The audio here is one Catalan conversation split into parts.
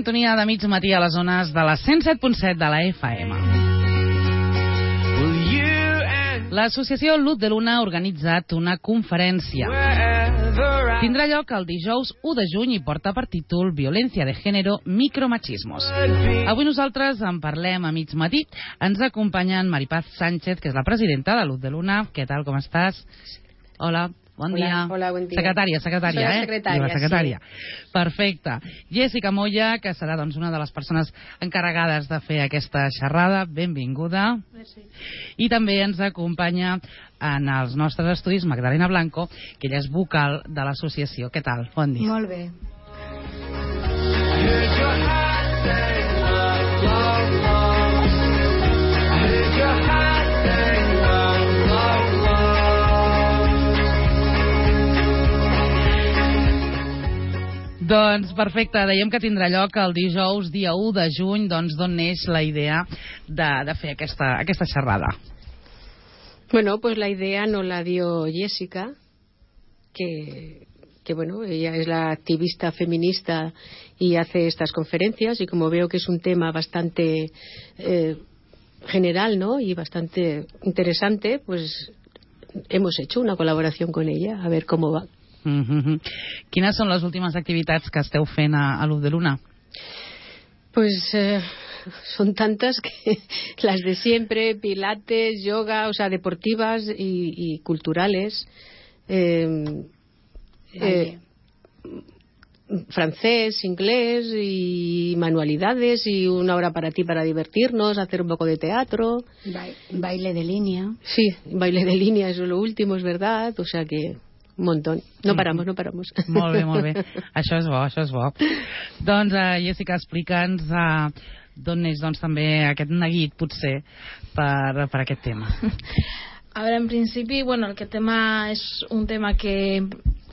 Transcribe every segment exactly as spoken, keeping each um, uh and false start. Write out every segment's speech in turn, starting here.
sintonia de mig matí a les zones de la cent set punt set de la F M. L'associació Luz de Luna ha organitzat una conferència. Tindrà lloc el dijous u de juny i porta per títol Violència de Género, Micromachismos. Avui nosaltres en parlem a mig matí. Ens acompanya en Maripaz Sánchez, que és la presidenta de Luz de Luna. Què tal, com estàs? Hola. Bon hola, dia. Hola, bon dia. Secretària, secretària, Soy eh? secretària, la secretària. Sí. Perfecte. Jessica Moya, que serà doncs, una de les persones encarregades de fer aquesta xerrada. Benvinguda. Merci. I també ens acompanya en els nostres estudis Magdalena Blanco, que ella és vocal de l'associació. Què tal? Bon dia. Molt bé. Doncs perfecte, dèiem que tindrà lloc el dijous, dia u de juny, doncs d'on neix la idea de, de fer aquesta, aquesta xerrada? Bueno, pues la idea nos la dio Jessica, que, que bueno, ella es la activista feminista y hace estas conferencias, y como veo que es un tema bastante eh, general, ¿no?, y bastante interesante, pues hemos hecho una colaboración con ella, a ver cómo va. Mm-hmm. Quines són les últimes activitats que esteu fent a, a Luz de Luna? Pues eh, son tantas que las de siempre, pilates, yoga, o sea, deportivas y, y culturales, eh, eh, francés, inglés y manualidades y una hora para ti para divertirnos, hacer un poco de teatro. Ba baile de línea. Sí, baile de línea, eso es lo último, es verdad, o sea que... un muntó. No paramos, no paramos. Molt bé, molt bé. Això és bo, això és bo. Doncs, uh, Jessica, explica'ns uh, d'on neix doncs, també aquest neguit, potser, per, per aquest tema. A veure, en principi, bueno, aquest tema és un tema que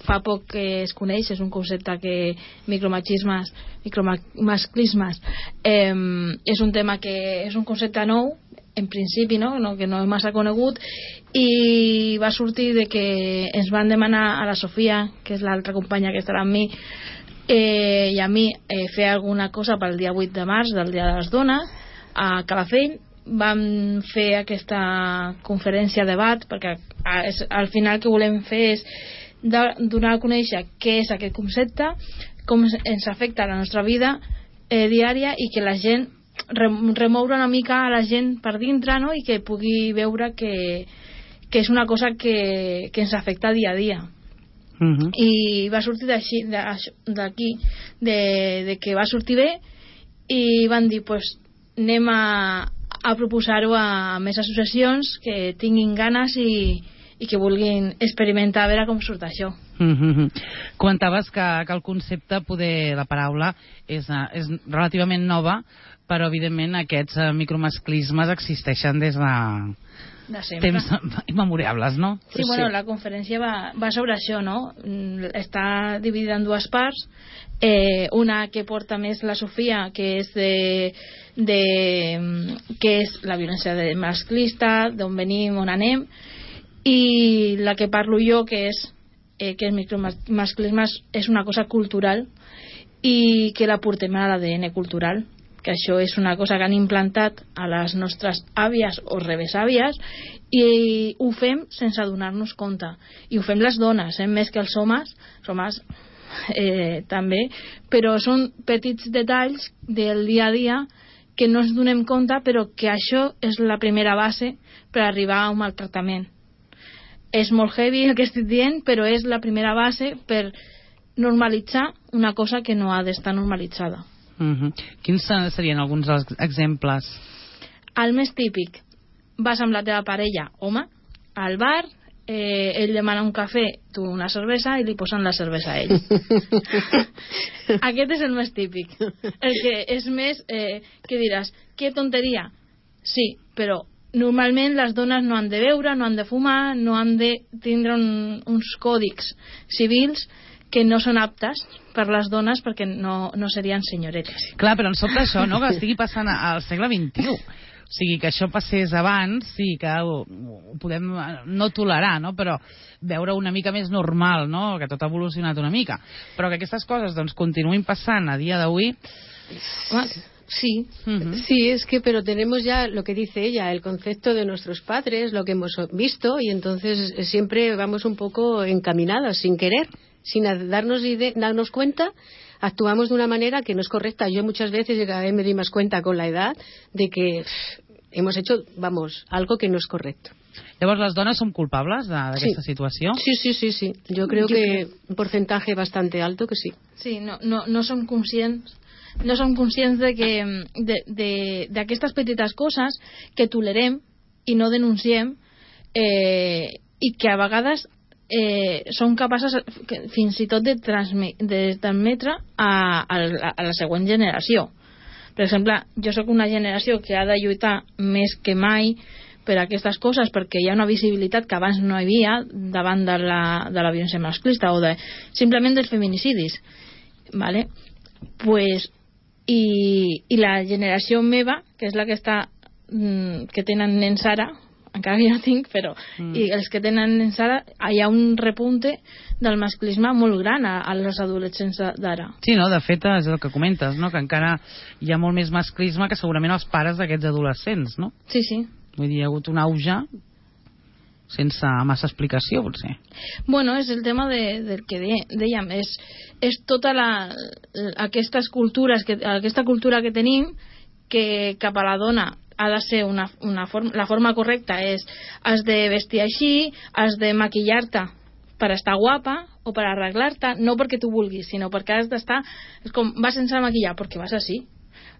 fa poc que es coneix, és un concepte que micromachismes, micromasclismes, eh, és un tema que és un concepte nou, en principi, no? No, que no és massa conegut, i va sortir de que ens van demanar a la Sofia, que és l'altra companya que estarà amb mi, eh, i a mi eh, fer alguna cosa pel dia vuit de març, del Dia de les Dones, a Calafell. Vam fer aquesta conferència debat, perquè és, al final el que volem fer és de, donar a conèixer què és aquest concepte, com ens afecta a la nostra vida eh, diària, i que la gent remoure una mica a la gent per dintre, no?, i que pugui veure que, que és una cosa que, que ens afecta dia a dia. Uh-huh. I va sortir d'aquí, de, de que va sortir bé, i van dir, pues, anem a, a proposar-ho a més associacions que tinguin ganes i, i que vulguin experimentar a veure com surt això. Uh-huh. Comentaves que, que el concepte, poder, la paraula, és, és relativament nova, però evidentment aquests uh, micromasclismes existeixen des de, de temps immemorables, no? Sí, bueno, la conferència va, va sobre això, no? Està dividida en dues parts, eh, una que porta més la Sofia, que és de, de que és la violència masclista, d'on venim, on anem, i la que parlo jo, que és eh, que el micromasclisme és una cosa cultural i que la portem a l'A D N cultural, que això és una cosa que han implantat a les nostres àvies o rebesàvies, i ho fem sense donar-nos compte, i ho fem les dones, eh? Més que els homes, els homes eh, també, però són petits detalls del dia a dia que no ens donem compte, però que això és la primera base per arribar a un maltractament. És molt heavy el que estic dient, però és la primera base per normalitzar una cosa que no ha d'estar normalitzada. Uh-huh. Quins serien alguns dels exemples? El més típic: vas amb la teva parella, home, al bar, eh, ell demana un cafè, tu una cervesa, i li posen la cervesa a ell. Aquest és el més típic, el que és més eh, que diràs, que tonteria. Sí, però normalment les dones no han de beure, no han de fumar, no han de tindre un, uns còdics civils que no són aptes per les dones, perquè no, no serien senyoretes. Clar, però em sobta això, no?, que estigui passant al segle vint-i-u. O sigui, que això passés abans, sí, que ho, ho podem no tolerar, no?, però veure una mica més normal, no?, que tot ha evolucionat una mica. Però que aquestes coses doncs continuïn passant a dia d'avui, Sí. Uh-huh. Sí, es que, pero tenemos ya lo que dice ella, el concepto de nuestros padres, lo que hemos visto, y entonces siempre vamos un poco encaminadas, sin querer, sin darnos, ide- darnos cuenta, actuamos de una manera que no es correcta. Yo muchas veces, y cada vez me doy más cuenta con la edad, de que pff, hemos hecho, vamos, algo que no es correcto. Llavors, les dones som culpables d'aquesta sí. situació? Sí, sí, sí, sí. Yo creo Yo que creo... un porcentaje bastante alto que sí. Sí, no, no, no som conscients no som conscients de que d'aquestes petites coses que tolerem i no denunciem eh, i que a vegades eh, són capaces fins i tot de, transme, de transmetre a, a, a la següent generació. Per exemple, jo sóc una generació que ha de lluitar més que mai per aquestes coses, perquè hi ha una visibilitat que abans no hi havia davant de la, de la violència masclista o de, simplement dels feminicidis, vale? Pues, i, i la generació meva, que és la que està mm, que tenen nens ara, encara que jo no tinc, però mm. i els que tenen nens ara, hi ha un repunte del masclisme molt gran a, a les adolescents d'ara. Sí, no? De fet, és el que comentes, no? Que encara hi ha molt més masclisme que segurament els pares d'aquests adolescents, no? Sí, sí. Vull dir, hi ha hagut un auge sense massa explicació, potser. Bueno, és el tema de, del que de, dèiem, és, és tota la, aquestes cultures, que, aquesta cultura que tenim, que cap a la dona ha de ser una, una forma, la forma correcta és has de vestir així, has de maquillar-te per estar guapa o per arreglar-te, no perquè tu vulguis, sinó perquè has d'estar, és com, vas sense maquillar perquè vas així,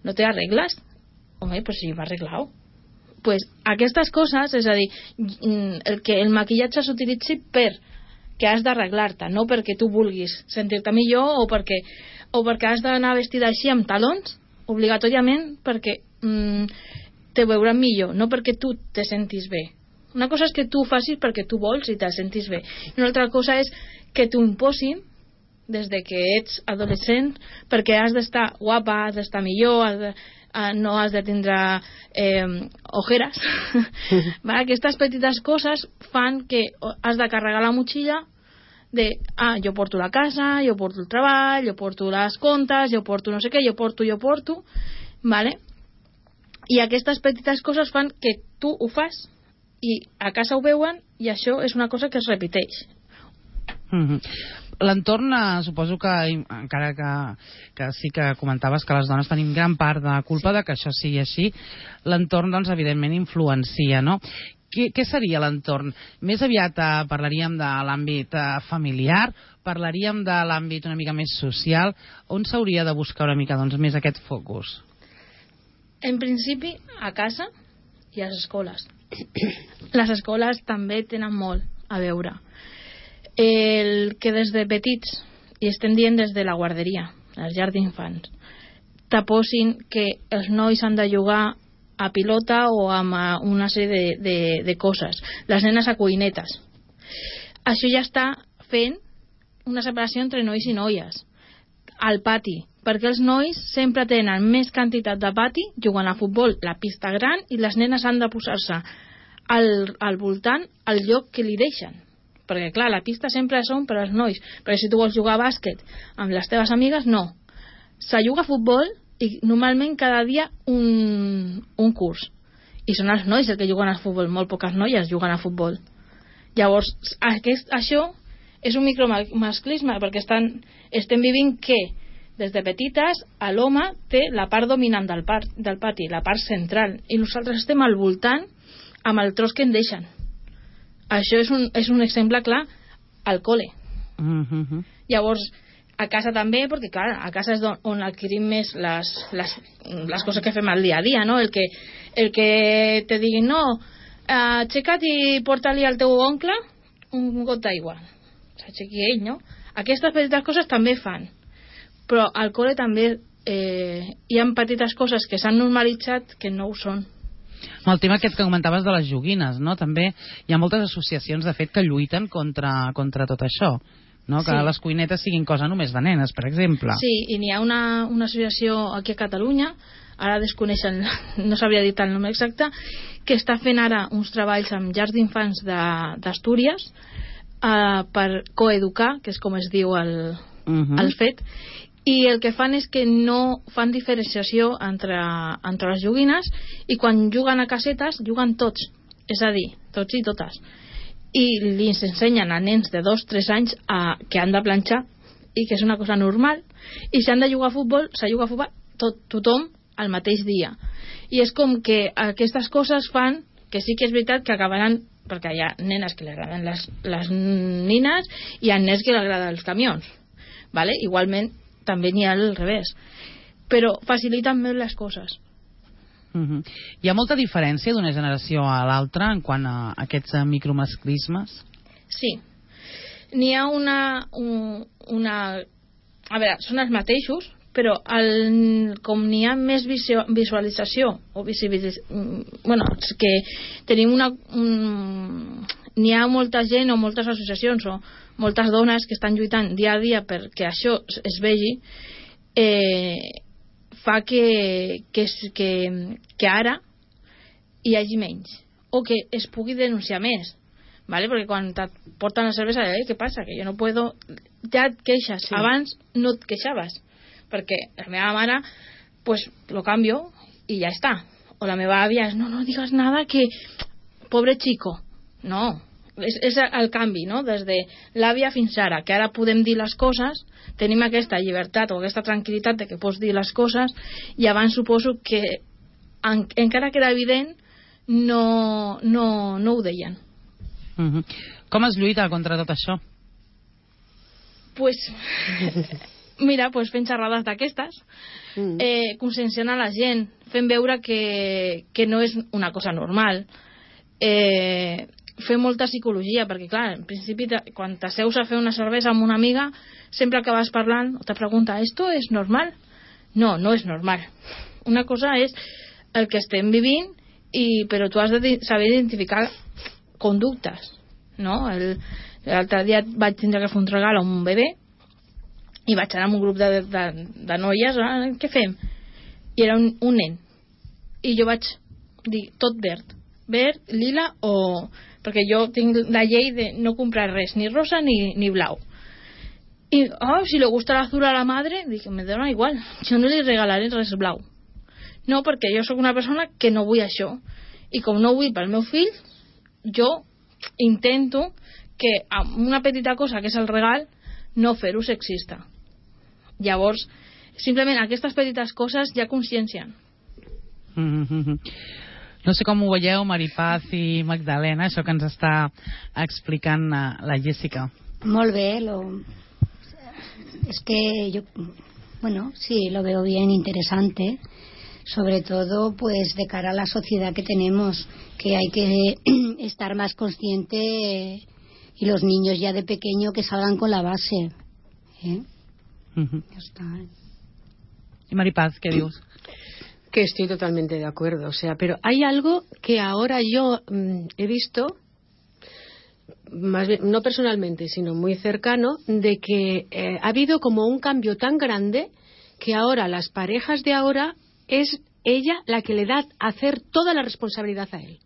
no te arregles? Home, pues sí, va arreglado. Pues aquestes coses, és a dir, el que el maquillatge s'utilitzi per que has d'arreglar-te, no perquè tu vulguis sentir-te millor o perquè, o perquè has d'anar vestida així amb talons, obligatòriament perquè mm, te veuran millor, no perquè tu te sentis bé. Una cosa és que tu ho facis perquè tu vols i te sentis bé. I una altra cosa és que t'ho imposin des de que ets adolescent perquè has d'estar guapa, has d'estar millor, has de... Uh, no has de tindre eh, ojeres. Va? Aquestes petites coses fan que has de carregar la motxilla de, ah, jo porto la casa, jo porto el treball, jo porto les comptes, jo porto no sé què, jo porto, jo porto, vale? I aquestes petites coses fan que tu ho fas i a casa ho veuen i això és una cosa que es repeteix. Mm-hmm. L'entorn, suposo que encara que, que sí que comentaves que les dones tenim gran part de culpa sí. de que això sigui així, l'entorn doncs evidentment influencia, no? Què, què seria l'entorn? Més aviat eh, parlaríem de l'àmbit eh, familiar, parlaríem de l'àmbit una mica més social, on s'hauria de buscar una mica doncs, més aquest focus? En principi, a casa i a les escoles. Les escoles també tenen molt a veure. El que des de petits, i estem dient des de la guarderia, les llars d'infants, t'aposin que els nois han de jugar a pilota o amb una sèrie de, de, de coses, les nenes a cuinetes. Això ja està fent una separació entre nois i noies al pati, perquè els nois sempre tenen més quantitat de pati jugant a futbol, la pista gran, i les nenes han de posar-se al, al voltant al lloc que li deixen, perquè clar, la pista sempre són per als nois, però si tu vols jugar a bàsquet amb les teves amigues, no. Se juga a futbol i normalment cada dia un, un curs, i són els nois els que juguen a futbol, molt poques noies juguen a futbol. Llavors aquest, això és un micromasclisme, perquè estan, estem vivint que des de petites l'home té la part dominant del, par, del pati, la part central, i nosaltres estem al voltant amb el tros que en deixen. Això és un, és un exemple clar al col·le. Mm-hmm. Llavors, a casa també, perquè clar, a casa és on adquirim més les, les, les coses que fem al dia a dia, no? El que, el que te diguin, no, aixeca't i porta-li al teu oncle un got d'aigua. S'aixequi ell, no? Aquestes petites coses també fan. Però al col·le també eh, hi ha petites coses que s'han normalitzat que no ho són. El tema aquest que comentaves de les joguines, no? També hi ha moltes associacions, de fet, que lluiten contra, contra tot això, no? Que sí. Les cuinetes siguin cosa només de nenes, per exemple. Sí, i n'hi ha una, una associació aquí a Catalunya, ara desconeixen, no sabria dir el nom exacte, que està fent ara uns treballs amb llars d'infants d'Astúries eh, per coeducar, que és com es diu el, uh-huh. el fet, i el que fan és que no fan diferenciació entre, entre les joguines, i quan juguen a casetes juguen tots, és a dir, tots i totes, i li ensenyen a nens de dos a tres anys a, que han de planxar i que és una cosa normal, i si han de jugar a futbol s'ha jugat a futbol tot, tothom al mateix dia, i és com que aquestes coses fan que sí que és veritat que acabaran, perquè hi ha nenes que li agraden les, les nines i hi ha nens que li agraden els camions, vale? Igualment també n'hi ha al revés, però faciliten més les coses. Uh-huh. Hi ha molta diferència d'una generació a l'altra en quant a aquests micromasclismes? Sí, n'hi ha una, un, una a veure, són els mateixos, però el, com n'hi ha més visu, visualització o visibilització, bueno, és que tenim una un, n'hi ha molta gent o moltes associacions o moltes dones que estan lluitant dia a dia perquè això es vegi, eh, fa que, que, que, que ara hi hagi menys o que es pugui denunciar més, ¿vale? Perquè quan et porten la cervesa, eh, què passa? Que jo no puedo, ja et queixes, sí. Abans no et queixaves perquè la meva mare pues lo cambio y ya está, o la meva àvia és no, no digas nada que pobre chico, no, és, és el canvi, no? Des de l'àvia fins ara, que ara podem dir les coses, tenim aquesta llibertat o aquesta tranquil·litat de que pots dir les coses, i abans suposo que en, encara que era evident no, no, no ho deien. Uh-huh. Com es lluita contra tot això? Pues mira, pues fent xerrades d'aquestes, mm. eh, conscienciant a la gent, fent veure que, que no és una cosa normal, eh, fer molta psicologia, perquè clar, en principi quan t'asseus a fer una cervesa amb una amiga sempre acabes parlant o te pregunta, ¿esto es normal? No, no és normal. Una cosa és el que estem vivint, i, però tu has de saber identificar conductes, no? El, l'altre dia vaig tindre que fer un regal a un bebè i vaig anar amb un grup de, de, de noies, ah, què fem? I era un, un nen, i jo vaig dir tot verd, verd, lila o... perquè jo tinc la llei de no comprar res, ni rosa ni, ni blau, i oh, si le gusta l'azul a la madre, dic, me dona igual, jo no li regalaré res blau, no, perquè jo sóc una persona que no vull això, i com no vull pel meu fill, jo intento que amb una petita cosa que és el regal no fer-ho sexista. Llavors, simplement aquestes petites coses ja consciencien. Mm-hmm. No sé com ho veieu, Maripaz i Magdalena, això que ens està explicant la Jessica. Molt bé, lo... es que yo, bueno, sí, lo veo bien interesante, sobre todo pues de cara a la sociedad que tenemos, que hay que estar más consciente, y los niños ya de pequeño que salgan con la base, ¿eh? Uh-huh. Ya está. ¿Y Maripaz, qué dios? Que estoy totalmente de acuerdo, o sea, pero hay algo que ahora yo mmm, he visto, más bien, no personalmente, sino muy cercano, de que eh, ha habido como un cambio tan grande que ahora las parejas de ahora es ella la que le da a hacer toda la responsabilidad a él.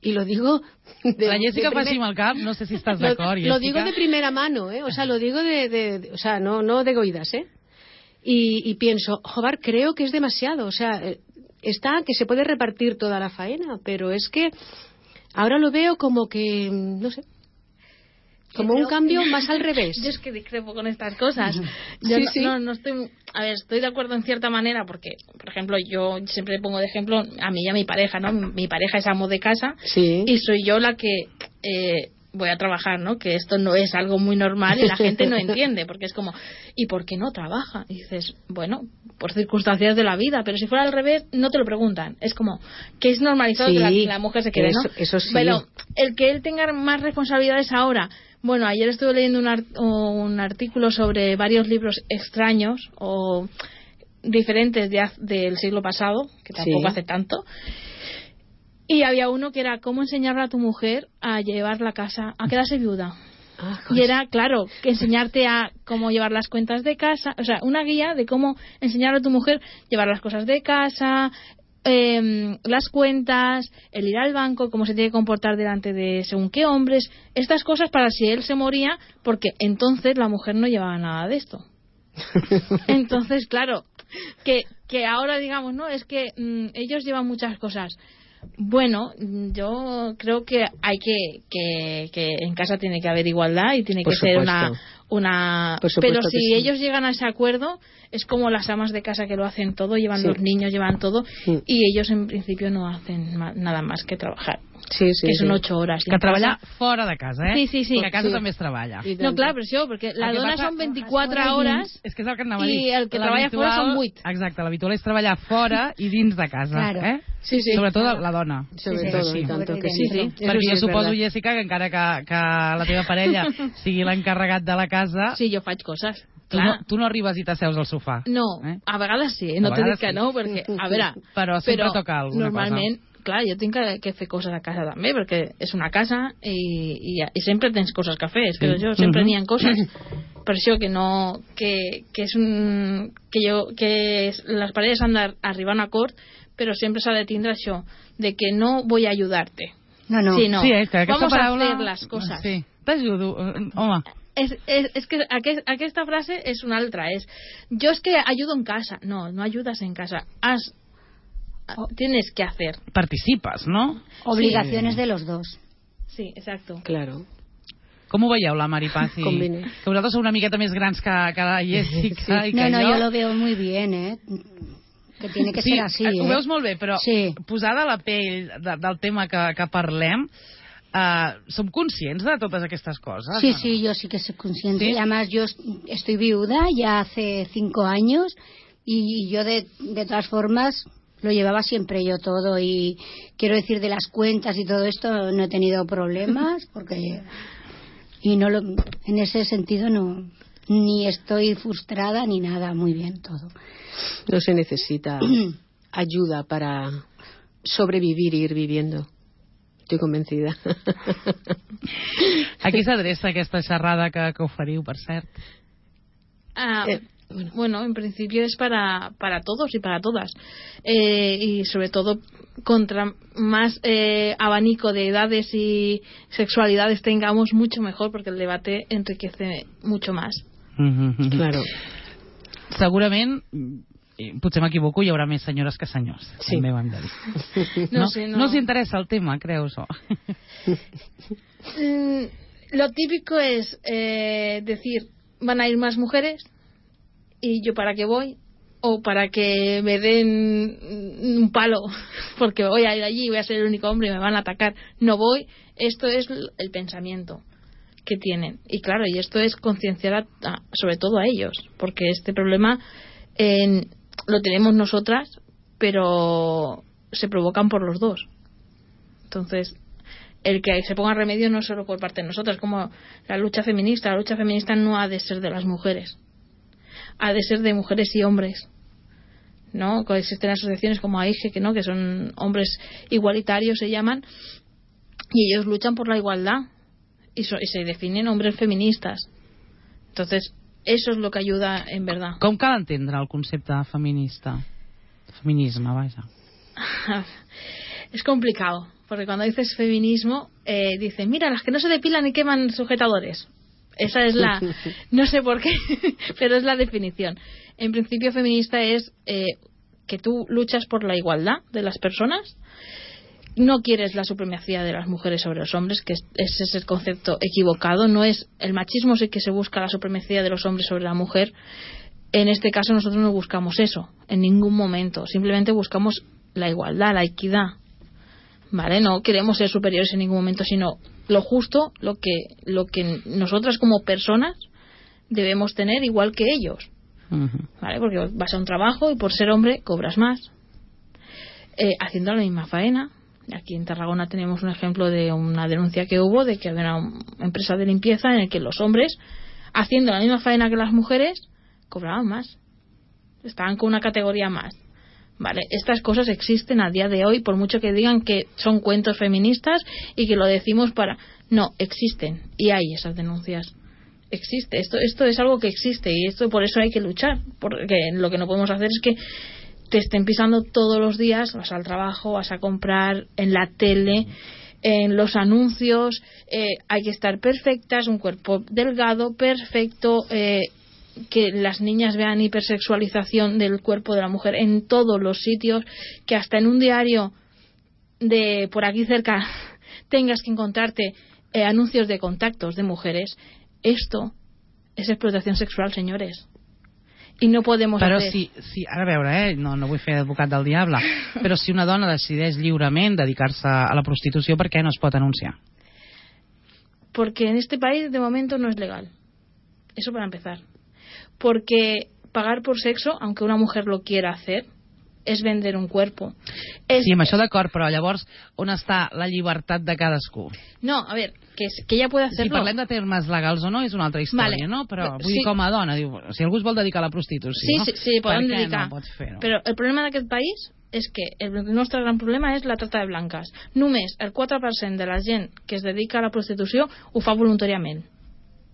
Y lo digo de, la Jessica fa així amb el cap, no sé si estàs d'acord, Jessica. Lo digo de primera mano, ¿eh? O sea, lo digo de, de, de o sea, no, no de oídas, ¿eh? Y, y pienso, joder, creo que es demasiado, o sea, está que se puede repartir toda la faena, pero es que ahora lo veo como que, no sé, como un cambio más al revés. Yo es que discrepo con estas cosas. Yo sí, no, sí. No, no estoy, a ver, estoy de acuerdo en cierta manera, porque, por ejemplo, yo siempre pongo de ejemplo a mí y a mi pareja, ¿no? Mi pareja es amo de casa, sí. Y soy yo la que eh, voy a trabajar, ¿no? Que esto no es algo muy normal y la gente no entiende, porque es como, ¿y por qué no trabaja? Y dices, bueno, por circunstancias de la vida, pero si fuera al revés, no te lo preguntan. Es como que es normalizado, sí, que la, la mujer se quede, ¿no? Eso, eso sí. Pero el que él tenga más responsabilidades ahora. Bueno, ayer estuve leyendo un, art un artículo sobre varios libros extraños o diferentes de, del siglo pasado, que tampoco sí. hace tanto. Y había uno que era cómo enseñarle a tu mujer a llevar la casa, a quedarse viuda. Ah, y era, claro, que enseñarte a cómo llevar las cuentas de casa, o sea, una guía de cómo enseñarle a tu mujer llevar las cosas de casa, eh, las cuentas, el ir al banco, cómo se tiene que comportar delante de según qué hombres, estas cosas para si él se moría, porque entonces la mujer no llevaba nada de esto. Entonces, claro, que, que ahora digamos, no, es que mmm, ellos llevan muchas cosas. Bueno, yo creo que hay que, que, que en casa tiene que haber igualdad y tiene Por que ser supuesto. una... una Por supuesto pero si que sí. ellos llegan a ese acuerdo, es como las amas de casa que lo hacen todo, llevan Sí. los niños, llevan todo, Sí. y ellos en principio no hacen ma- nada más que trabajar. Sí, sí, que son sí. ocho horas. Que treballar fora de casa, eh? Sí, sí, sí. Que a casa Sí. també es treballa. I No, tant. clar, per això, perquè la El que dona passa- són vint-i-quatre Fora i hores És que és el que anava a dir. i el que treballa L'habitual- fora són vuit. Exacte, l'habitual és treballar fora i dins de casa, Claro. eh? Sí, sí. Sobretot la, la dona. Sobre Sí, todo, sí. y tanto que Sí, sí. sí. Eso Perquè sí jo es suposo, verdad. Jessica, que encara que, que la teva parella sigui l'encarregat de la casa, Sí, jo faig coses. tu, Clar. no, tu no arribes i t'asseus al sofà. No, Eh? a vegades sí, no A t'he dit vegades que sí. no, perquè, a veure... Però sempre toca alguna normalment, clar, jo tinc que, que fer coses a casa també, perquè és una casa i, i, i sempre tens coses que fer, és que Sí. jo sempre Mhm. n'hi ha coses. Per això que no... Que, que és un... Que, jo, que es- les parelles han d'arribar a un acord, però sempre s'ha de tindre això, de que no voy a ayudarte. No, no. Sí, no. Sí, és que aquesta Vamos paraula... a hacer las cosas. Sí, t'ajudo. eh, Home, És, és, és que aquest, aquesta frase és una altra, és jo és que ayudo en casa. No, no ayudas en casa. Has, tienes que hacer. participes, no? Obligaciones de los dos. Sí, exacto. Claro. Com ho veieu, la Maripaz? I... Combine. Que vosaltres sou una miqueta més grans que, que la Jessica i que No, no, jo... yo lo veo muy bien, ¿eh? Que tiene que sí, ser así, ho ¿eh? veus molt bé, però Sí. posada a la pell de, del tema que, que parlem, eh, som conscients de totes aquestes coses? Sí, o no? sí, yo sí que soy consciente. ¿Sí? Y además yo est- estoy viuda ya hace cinco años y yo de, de todas formas lo llevaba siempre yo todo y quiero decir de las cuentas y todo esto no he tenido problemas porque y no lo, en ese sentido no ni estoy frustrada ni nada, muy bien todo. No se necesita ayuda para sobrevivir y ir viviendo. Estoy convencida. A qui s'adreça aquesta xerrada que, que oferiu, per cert? Ah, Eh, bueno. bueno, en principio es para, para todos y para todas. Eh, y sobre todo, contra más eh, abanico de edades y sexualidades tengamos, mucho mejor, porque el debate enriquece mucho más. Mm-hmm. Claro. Segurament, i potser m'equivoco, hi haurà més senyores que senyors. Sí. També ho hem de dir. No No, sé, no. no us interessa el tema, creus? O... Mm, lo típico es eh, decir, van a ir más mujeres y yo para qué voy, o para que me den un palo porque voy a ir allí y voy a ser el único hombre y me van a atacar, no voy. Esto es el pensamiento que tienen, y claro, y esto es concienciar a- a- sobre todo a ellos, porque este problema eh, lo tenemos nosotras, pero se provocan por los dos. Entonces, el que se ponga remedio no solo por parte de nosotras, como la lucha feminista. La lucha feminista no ha de ser de las mujeres, ha de ser de mujeres y hombres, ¿no? Existen asociaciones como AIGE, que no, que son hombres igualitarios, se llaman, y ellos luchan por la igualdad y, so- y se definen hombres feministas. Entonces, eso es lo que ayuda en verdad. Com cal entendre el concepte feminista? Feminisme, vaja. Es complicado, porque cuando dices feminismo, eh, dicen, mira, las que no se depilan y queman sujetadores. Esa es la... No sé por qué, pero es la definición. En principio, feminista es eh, que tú luchas por la igualdad de las personas, no quieres la supremacía de las mujeres sobre los hombres, que es- ese es el concepto equivocado. No es el machismo, sí que se busca la supremacía de los hombres sobre la mujer. En este caso nosotros no buscamos eso en ningún momento, simplemente buscamos la igualdad, la equidad, ¿vale? No queremos ser superiores en ningún momento, sino lo justo, lo que lo que nosotras como personas debemos tener igual que ellos, Uh-huh. ¿vale? Porque vas a un trabajo y por ser hombre cobras más, eh, haciendo la misma faena. Aquí en Tarragona tenemos un ejemplo de una denuncia que hubo de que había una empresa de limpieza en el que los hombres, haciendo la misma faena que las mujeres, cobraban más, estaban con una categoría más. Vale, estas cosas existen a día de hoy, por mucho que digan que son cuentos feministas y que lo decimos para... No, existen, y hay esas denuncias. Existe, esto esto es algo que existe, y esto por eso hay que luchar, porque lo que no podemos hacer es que te estén pisando todos los días, vas al trabajo, vas a comprar, en la tele, en los anuncios, eh, hay que estar perfectas, un cuerpo delgado, perfecto, eh, que las niñas vean hipersexualización del cuerpo de la mujer en todos los sitios, que hasta en un diario de por aquí cerca tengas que encontrarte eh, anuncios de contactos de mujeres. Esto és explotació sexual, senyores. I no podem però hacer... si, si, ara a veure, eh, no, no vull fer advocat del diable, però si una dona decideix lliurement dedicar-se a la prostitució, per què no es pot anunciar? Porque en este país de momento no es legal. Eso para empezar. Porque pagar por sexo, aunque una mujer lo quiera hacer, és vender un cuerpo. És... Sí, amb això d'acord, però llavors on està la llibertat de cadascú? No, a ver, que, que ella puede hacerlo. Si parlem de termes legals o no, és una altra història, vale. no? Però vull sí. dir, com a dona, diu, si algú es vol dedicar a la prostitució, sí, sí, sí, per què dedicar. no pots fer-ho? Però el problema d'aquest país és que el nostre gran problema és la trata de blanques. Només el quatre per cent de la gent que es dedica a la prostitució ho fa voluntàriament.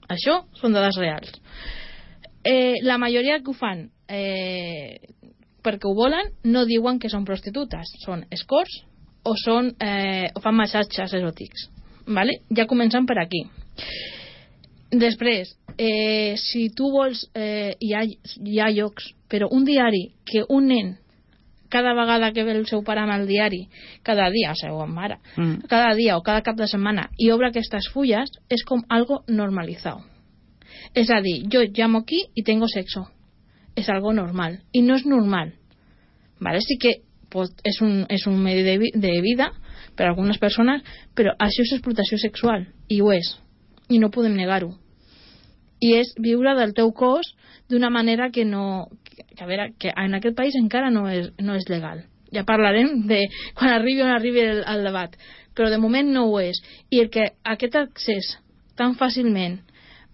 Això són dades reals. Eh, la majoria que ho fan eh, perquè ho volen no diuen que són prostitutes, són escorts o, són, eh, o fan massatges eròtics, vale? Ja comencem per aquí. Després, eh, si tu vols, eh, hi, ha, hi ha llocs, però un diari que un nen cada vegada que ve el seu pare amb el diari, cada dia, o sigui, mare, mm. cada dia o cada cap de setmana, i obre aquestes fulles, és com algo normalizado. És a dir, jo llamo aquí i tengo sexo. És algo normal. I no és normal. Vale? Sí que pues, és, un, és un medi de, vi de vida per a algunes persones, però això és explotació sexual. I ho és. I no podem negar-ho. I és viure del teu cos d'una manera que no... Que, a veure, que en aquest país encara no és, no és legal. Ja parlarem de quan arribi on arribi el, el debat. Però de moment no ho és. I el que aquest accés tan fàcilment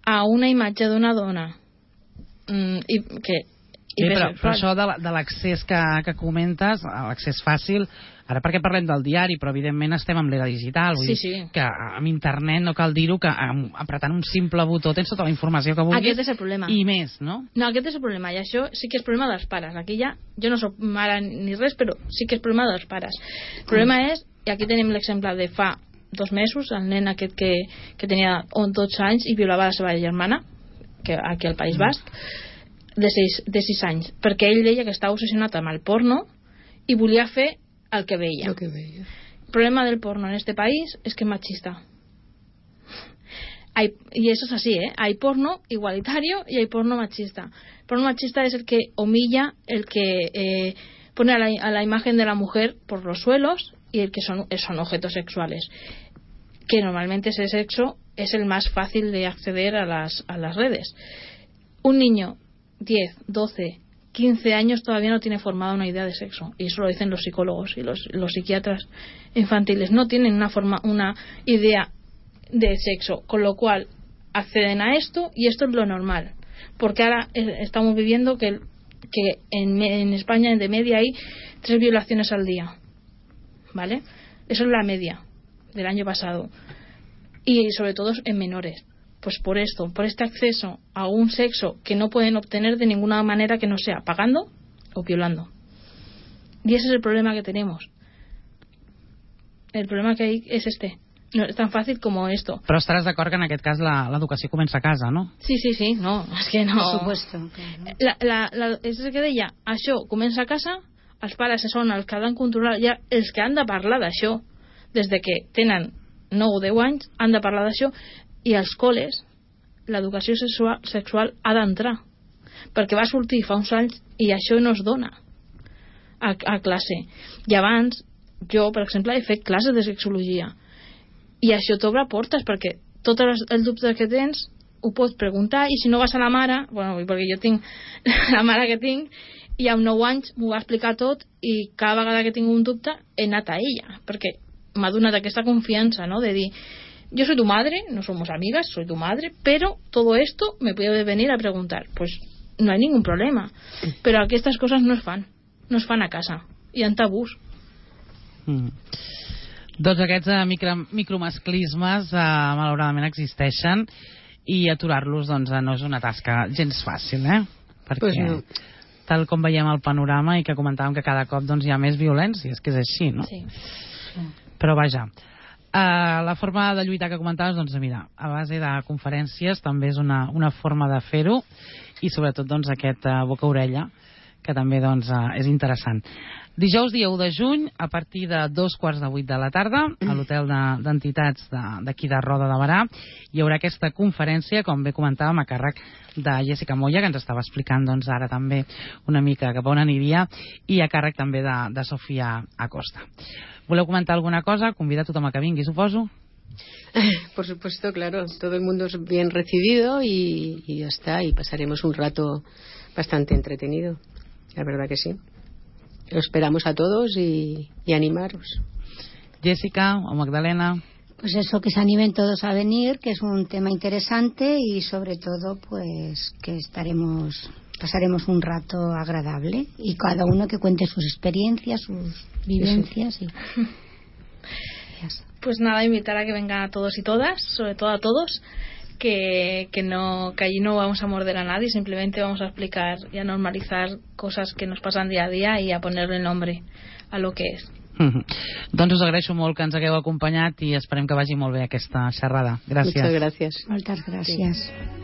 a una imatge d'una dona mm, i que sí, però, però això de l'accés que, que comentes, l'accés fàcil, ara perquè parlem del diari, però evidentment estem amb l'era digital, vull sí, dir sí. que amb internet no cal dir-ho, que apretant un simple botó tens tota la informació que vulguis. Aquest és el problema. I més, no? No, aquest és el problema, i això sí que és problema dels pares. Aquí ja, jo no soc mare ni res, però sí que és problema dels pares. El problema és, i aquí tenim l'exemple de fa dos mesos, el nen aquest que, que tenia dotze anys i violava la seva germana, que aquí al País Basc, de sis anys, perquè ell deia que estava obsessionat amb el porno i volia fer el que veia. Lo que veia. El problema del porno en este país es que es machista. Hay, y eso es así, ¿eh? Hay porno igualitario y hay porno machista. El porno machista es el que humilla, el que eh, pone a la, a la imagen de la mujer por los suelos y el que son, son objetos sexuales. Que normalmente ese sexo es el más fácil de acceder a las, a las redes. Un niño diez, doce, quince años todavía no tiene formada una idea de sexo, y eso lo dicen los psicólogos y los, los psiquiatras infantiles, no tienen una, forma, una idea de sexo, con lo cual acceden a esto y esto es lo normal, porque ahora estamos viviendo que, que en, en España de media hay tres violaciones al día, ¿vale? Eso es la media del año pasado, y sobre todo en menores. Pues por esto, por este acceso a un sexo que no pueden obtener de ninguna manera que no sea pagando o violando. Y ese es el problema que tenemos. El problema que hay es este. No es tan fàcil com esto. Però estaràs d'acord que en aquest cas l'educació comença a casa, no? Sí, sí, sí, no, és que no. Por supuesto. Claro. La, la, la, és el que deia, això comença a casa, els pares són els que han de controlar, ja els que han de parlar d'això, des de que tenen nou o deu anys, han de parlar d'això. I als col·les l'educació sexual, sexual ha d'entrar, perquè va sortir fa uns anys i això no es dona a, a classe. I abans jo, per exemple, he fet classes de sexologia i això t'obre portes, perquè tots els, els dubtes que tens ho pots preguntar, i si no vas a la mare, bueno, perquè jo tinc la mare que tinc i amb nou anys m'ho va explicar tot, i cada vegada que tinc un dubte he anat a ella, perquè m'ha donat aquesta confiança, no?, de dir, yo soy tu madre, no somos amigas, soy tu madre, pero todo esto me puede venir a preguntar. Pues no hay ningún problema. Pero aquí estas cosas no es fan. No es fan a casa. Hi ha tabús. Mm. Doncs aquests uh, micro, micromasclismes uh, malauradament existeixen, i aturar-los doncs, no és una tasca gens fàcil, eh? Perquè pues no. Tal com veiem el panorama i que comentàvem que cada cop doncs, hi ha més violència, és que és així, no? Sí. Però vaja... Uh, la forma de lluitar que comentaves, doncs mira, a base de conferències també és una, una forma de fer-ho, i sobretot doncs aquest uh, boca-orella, que també doncs uh, és interessant. Dijous dia u de juny, a partir de dos quarts de vuit de la tarda, a l'hotel d'entitats de, d'aquí de Roda de Berà, hi haurà aquesta conferència, com bé comentàvem, a càrrec de Jessica Moya, que ens estava explicant doncs, ara també una mica cap a on aniria, i a càrrec també de, de Sofia Acosta. ¿Voleu comentar alguna cosa? Convida a tothom a que vingui, suposo. Por supuesto, claro. Todo el mundo es bien recibido y, y ya está. Y pasaremos un rato bastante entretenido. La verdad que sí. Lo esperamos a todos y, y animaros. Jessica o Magdalena. Pues eso, que se animen todos a venir, que es un tema interesante y sobre todo pues que estaremos pasaremos un rato agradable y cada uno que cuente sus experiencias, sus vivencias. Y... Pues nada, invitar a que vengan a todos y todas, sobre todo a todos, que, que, no, que allí no vamos a morder a nadie, simplemente vamos a explicar y a normalizar cosas que nos pasan día a día y a ponerle nombre a lo que es. Mm-hmm. Doncs us agraeixo molt que ens hagueu acompanyat i esperem que vagi molt bé aquesta xerrada. Gràcies. Muchas gracias. Moltes gràcies. Sí.